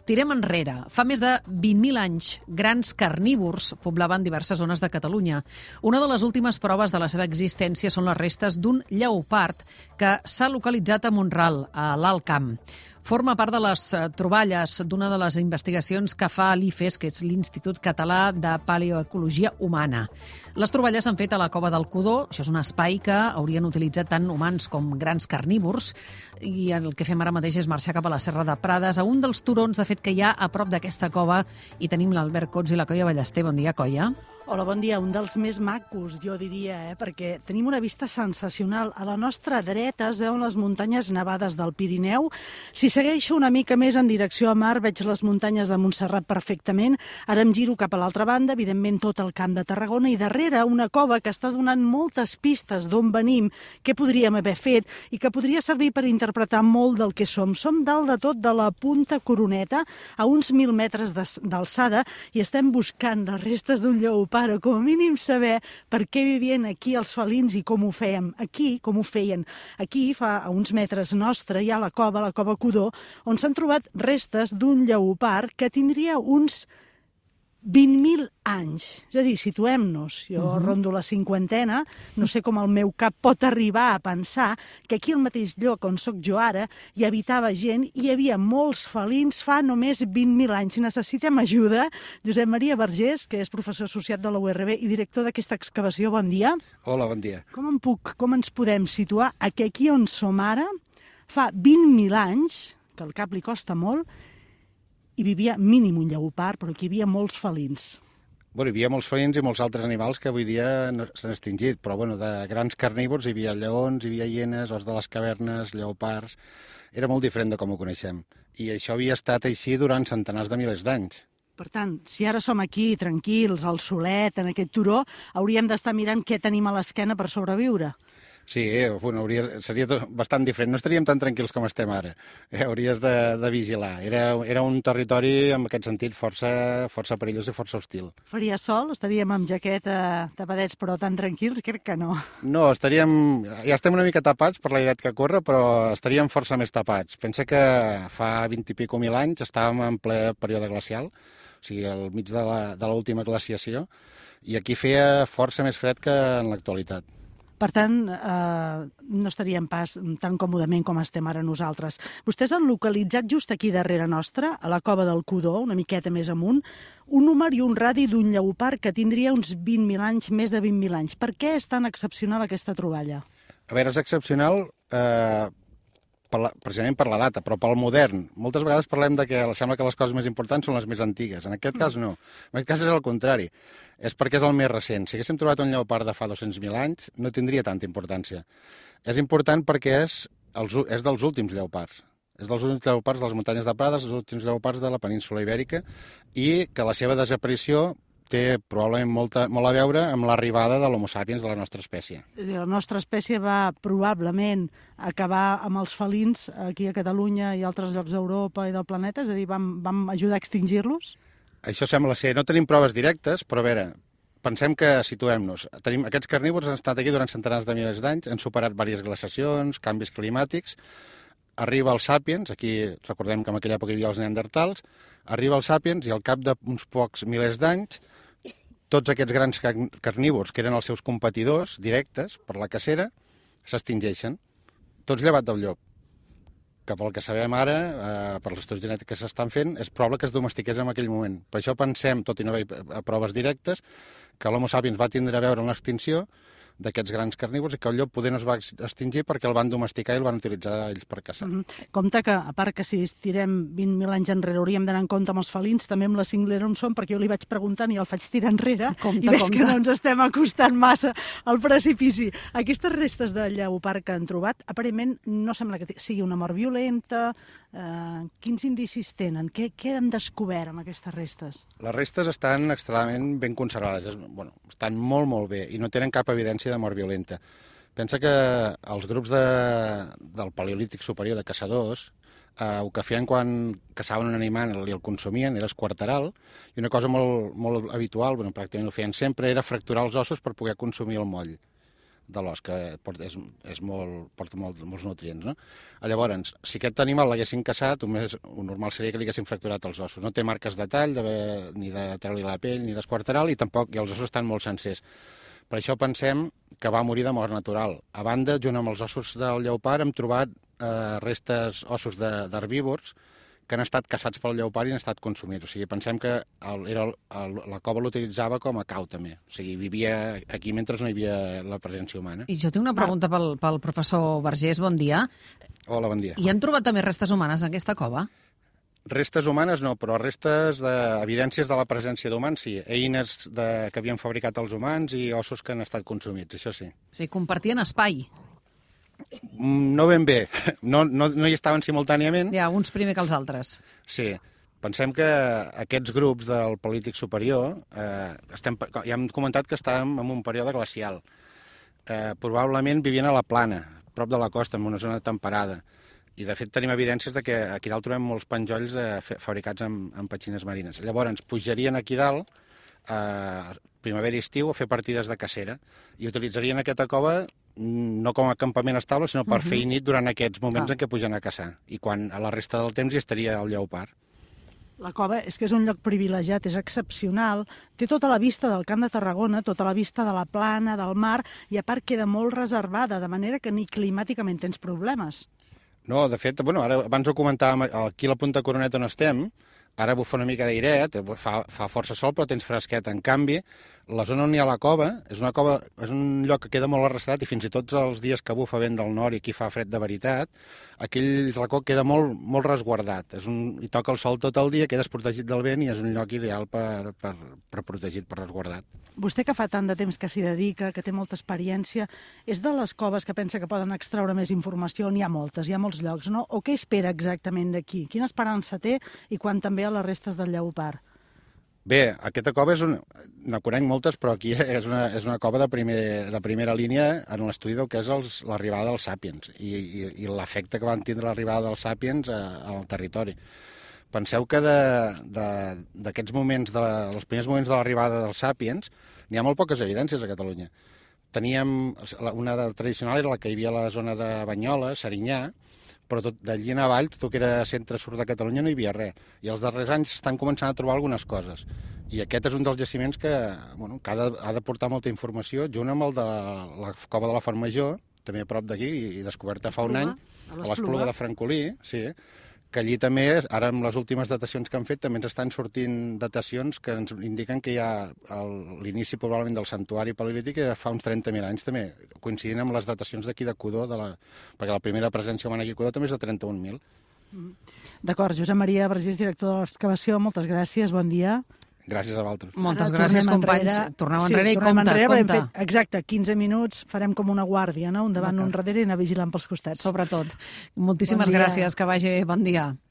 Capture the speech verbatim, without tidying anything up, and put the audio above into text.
Tirem enrere. Fa més de vint mil anys, grans carnívors poblaven diverses zones de Catalunya. Una de les últimes proves de la seva existència són les restes d'un lleopard que s'ha localitzat a Mont-ral, a l'Alt Camp. Forma part de les troballes d'una de les investigacions que fa l'I F E S, que és l'Institut Català de Paleoecologia Humana. Les troballes s'han fet a la Cova del Codó. Això és un espai que haurien utilitzat tant humans com grans carnívors, i el que fem ara mateix és marxar cap a la Serra de Prades, a un dels turons, de fet, que hi ha a prop d'aquesta cova, i tenim l'Albert Cots i la Coia Ballester. Bon dia, Coia. Hola, bon dia. Un dels més macos, jo diria, eh? perquè tenim una vista sensacional. A la nostra dreta es veuen les muntanyes nevades del Pirineu. Si segueixo una mica més en direcció a mar, veig les muntanyes de Montserrat perfectament. Ara em giro cap a l'altra banda, evidentment tot el Camp de Tarragona, i darrere una cova que està donant moltes pistes d'on venim, què podríem haver fet, i que podria servir per interpretar molt del que som. Som dalt de tot de la Punta Coroneta, a uns mil metres d'alçada, i estem buscant les restes d'un lleopard, o com a mínim saber per què vivien aquí els felins i com ho fèiem. Aquí, com ho feien. Aquí, fa a uns metres nostre, hi ha la cova, la cova Codó, on s'han trobat restes d'un lleopard que tindria uns vint mil anys. És a dir, situem-nos. Jo uh-huh. rondo la cinquantena, no sé com el meu cap pot arribar a pensar que aquí al mateix lloc on sóc jo ara hi habitava gent i hi havia molts felins fa només vint mil anys. Si necessitem ajuda, Josep Maria Vergés, que és professor associat de la U R B i director d'aquesta excavació, bon dia. Hola, bon dia. Com em puc, com ens podem situar a que aquí on som ara, fa vint mil anys, que el cap li costa molt, hi vivia mínim un lleopard, però aquí hi havia molts felins. Bueno, hi havia molts felins i molts altres animals que avui dia no, s'han extingit, però bueno, de grans carnívors hi havia lleons, hi havia hienes, os de les cavernes, lleopards. Era molt diferent de com ho coneixem. I això havia estat així durant centenars de milers d'anys. Per tant, si ara som aquí, tranquils, al solet, en aquest turó, hauríem d'estar mirant què tenim a l'esquena per sobreviure. Sí, eh, bueno, hauria, seria tot bastant diferent. No estaríem tan tranquils com estem ara. Eh, hauries de, de vigilar. Era, era un territori, en aquest sentit, força, força perillós i força hostil. Faria sol? Estaríem amb jaqueta, tapadets, però tan tranquils? Crec que no. No, estaríem... Ja estem una mica tapats per l'airet que corre, però estaríem força més tapats. Pensa que fa vint i pico mil anys estàvem en ple període glacial, o sigui, al mig de l'última glaciació, i aquí feia força més fred que en l'actualitat. Per tant, eh, no estaríem pas tan còmodament com estem ara nosaltres. Vostès han localitzat just aquí darrere nostra, a la cova del Codó, una miqueta més amunt, un número i un radi d'un lleopard que tindria uns vint mil anys, més de vint mil anys. Per què és tan excepcional aquesta troballa? A veure, és excepcional eh, per la, precisament per la data, però pel modern. Moltes vegades parlem de que sembla que les coses més importants són les més antigues. En aquest cas no. En aquest cas és el contrari. És perquè és el més recent. Si haguéssim trobat un lleopard de fa dos-cents mil anys, no tindria tanta importància. És important perquè és, els, és dels últims lleopards. És dels últims lleopards de les muntanyes de Prades, dels últims lleopards de la península Ibèrica, i que la seva desaparició té probablement molta, molt a veure amb l'arribada de l'Homo sapiens de la nostra espècie. És a dir, la nostra espècie va probablement acabar amb els felins aquí a Catalunya i altres llocs d'Europa i del planeta? És a dir, vam, vam ajudar a extingir-los? Això sembla ser. No tenim proves directes, però a veure, pensem que situem-nos. Tenim, aquests carnívors han estat aquí durant centenars de milers d'anys, han superat diverses glaciacions, canvis climàtics. Arriba el Sapiens, aquí recordem que en aquella època hi havia els neandertals, arriba el Sapiens i al cap d'uns pocs milers d'anys tots aquests grans carnívors, que eren els seus competidors directes per la cacera, s'extingeixen, tots llevat del llop. Que pel que sabem ara, eh, per les estudis genètics que s'estan fent, és probable que es domestiqués en aquell moment. Per això pensem, tot i no haver proves directes, que l'Homo sapiens va tindre a veure amb l'extinció d'aquests grans carnívors i que el llop poder no es va extingir perquè el van domesticar i el van utilitzar ells per caçar. Mm-hmm. Compte que, a part que si estirem vint mil anys enrere hauríem d'anar en compte amb els felins, també amb la cinglera on som, perquè jo li vaig preguntant i el faig tirar enrere, compte, i veig compte. Que no ens estem acostant massa al precipici. Aquestes restes de lleopard que han trobat, aparentment no sembla que sigui una mort violenta. Eh, quins indicis tenen? Què, què han descobert amb aquestes restes? Les restes estan extremadament ben conservades, bueno, estan molt, molt bé i no tenen cap evidència de mort violenta. Pensa que els grups de, del Paleolític superior de caçadors eh, el que feien quan caçaven un animal i el consumien era esquarteral, i una cosa molt, molt habitual, bueno, pràcticament ho feien sempre, era fracturar els ossos per poder consumir el moll de l'os, que porta, és, és molt, porta molt, molts nutrients, no? Llavors, si aquest animal l'haguessin caçat, només un normal seria que li haguessin fracturat els ossos. No té marques de tall, de, ni de treure-li la pell, ni d'esquarterar-li, i tampoc, i els ossos estan molt sencers. Per això pensem que va morir de mort natural. A banda, junt amb els ossos del lleopard, hem trobat eh, restes ossos d'herbívors que han estat caçats pel lleopard i han estat consumits. O sigui, pensem que el, era el, el, la cova l'utilitzava com a cau, també. O sigui, vivia aquí mentre no hi havia la presència humana. I jo tinc una pregunta pel, pel professor Vergés, bon dia. Hola, bon dia. I han trobat també restes humanes en aquesta cova? Restes humanes no, però restes d'evidències de la presència d'humans, sí. Eines de, que havien fabricat els humans i ossos que han estat consumits, això sí. O sigui, compartien espai. No ben bé, no, no, no hi estaven simultàniament. Hi ha uns primer que els altres. Sí, pensem que aquests grups del Paleolític superior, eh, estem, ja hem comentat que estàvem en un període glacial. Eh, probablement vivien a la plana, prop de la costa, en una zona temperada. I, de fet, tenim evidències de que aquí dalt trobem molts penjolls eh, fabricats amb, amb petxines marines. Llavors, pujarien aquí dalt, eh, primavera i estiu, a fer partides de cacera, i utilitzarien aquesta cova no com a campament estable, sinó per uh -huh. fer nit durant aquests moments ah. en què pugen a caçar. I quan a la resta del temps hi estaria el lleopard. La cova és que és un lloc privilegiat, és excepcional, té tota la vista del Camp de Tarragona, tota la vista de la plana, del mar, i a part queda molt reservada, de manera que ni climàticament tens problemes. No, de fet, bueno, ara abans ho comentàvem, aquí a la Punta Coroneta on estem, ara bufa una mica d'airet, fa, fa força sol, però tens fresquet. En canvi, la zona on hi ha la cova és una cova, és un lloc que queda molt arrasat i fins i tot els dies que bufa vent del nord i aquí fa fred de veritat, aquell racó queda molt, molt resguardat. És un, hi toca el sol tot el dia, quedes protegit del vent i és un lloc ideal per, per, per protegit, per resguardat. Vostè, que fa tant de temps que s'hi dedica, que té molta experiència, és de les coves que pensa que poden extraure més informació? N'hi ha moltes, hi ha molts llocs, no? O què espera exactament d'aquí? Quina esperança té i quan també a les restes del lleopard? Bé, aquesta cova és una... Ne conec moltes, però aquí és una, és una cova de, primer, de primera línia en l'estudi del que és l'arribada dels sàpiens i, i, i l'efecte que van tindre l'arribada dels sàpiens al territori. Penseu que d'aquests moments, de la, els primers moments de l'arribada dels sàpiens, n'hi ha molt poques evidències a Catalunya. Teníem, una tradicional era la que hi havia a la zona de Banyoles, Serinyà, però tot d'allí en avall, tot el que era centre-sud de Catalunya, no hi havia res. I els darrers anys s'estan començant a trobar algunes coses. I aquest és un dels jaciments que, bueno, que ha, de, ha de portar molta informació, junt amb el de la cova de la Font Major, també a prop d'aquí, i descoberta fa un any, a l'Espluga de Francolí, sí, que allí també, ara amb les últimes datacions que han fet, també ens estan sortint datacions que ens indiquen que hi ha l'inici probablement del santuari paleolític que fa uns trenta mil anys també, coincidint amb les datacions d'aquí de Codó, de la, perquè la primera presència humana aquí a Codó també és de trenta-un mil. D'acord, Josep Maria Vergés, director de l'excavació, moltes gràcies, bon dia. Gràcies a vosaltres. Moltes Ara, gràcies, companys. Enrere. Torneu enrere sí, i compte, enrere, compte. Fet, exacte, quinze minuts, farem com una guàrdia, no? Un davant, un darrere i anar vigilant pels costats. Sobretot. Moltíssimes bon gràcies, que vagi bé, bon dia.